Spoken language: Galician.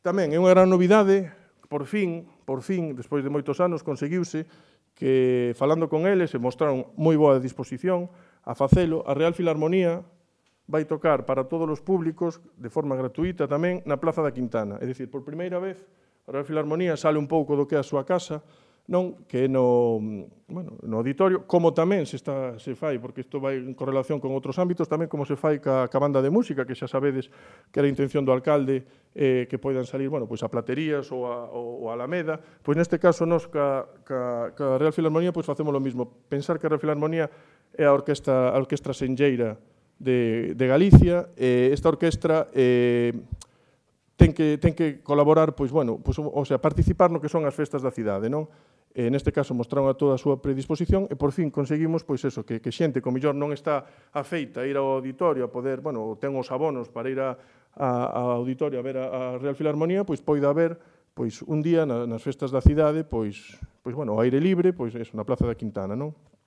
Tamén é unha gran novidade, por fin, despois de moitos anos, conseguiuse que, falando con eles, se mostraron moi boa disposición a facelo. A Real Filarmonía vai tocar para todos os públicos, de forma gratuita tamén, na Plaza da Quintana. É dicir, por primeira vez, a Real Filarmonía sale un pouco do que é a súa casa, non que é no auditorio, como tamén se fai, porque isto vai en correlación con outros ámbitos, tamén como se fai ca banda de música, que xa sabedes que era a intención do alcalde que poidan salir a Platerías ou a Alameda. Pois neste caso, nós ca Real Filarmonía facemos o mismo. Pensar que a Real Filarmonía é a orquestra senlleira de Galicia, esta orquestra ten que colaborar, participar no que son as festas da cidade, non? Neste caso, mostraron a toda a súa predisposición e, por fin, conseguimos que xente que, mellor, non está afeita a ir ao auditorio, a poder, ten os abonos para ir ao auditorio a ver a Real Filarmonía, poida ver un día nas festas da cidade, ao aire libre, na Plaza da Quintana, non?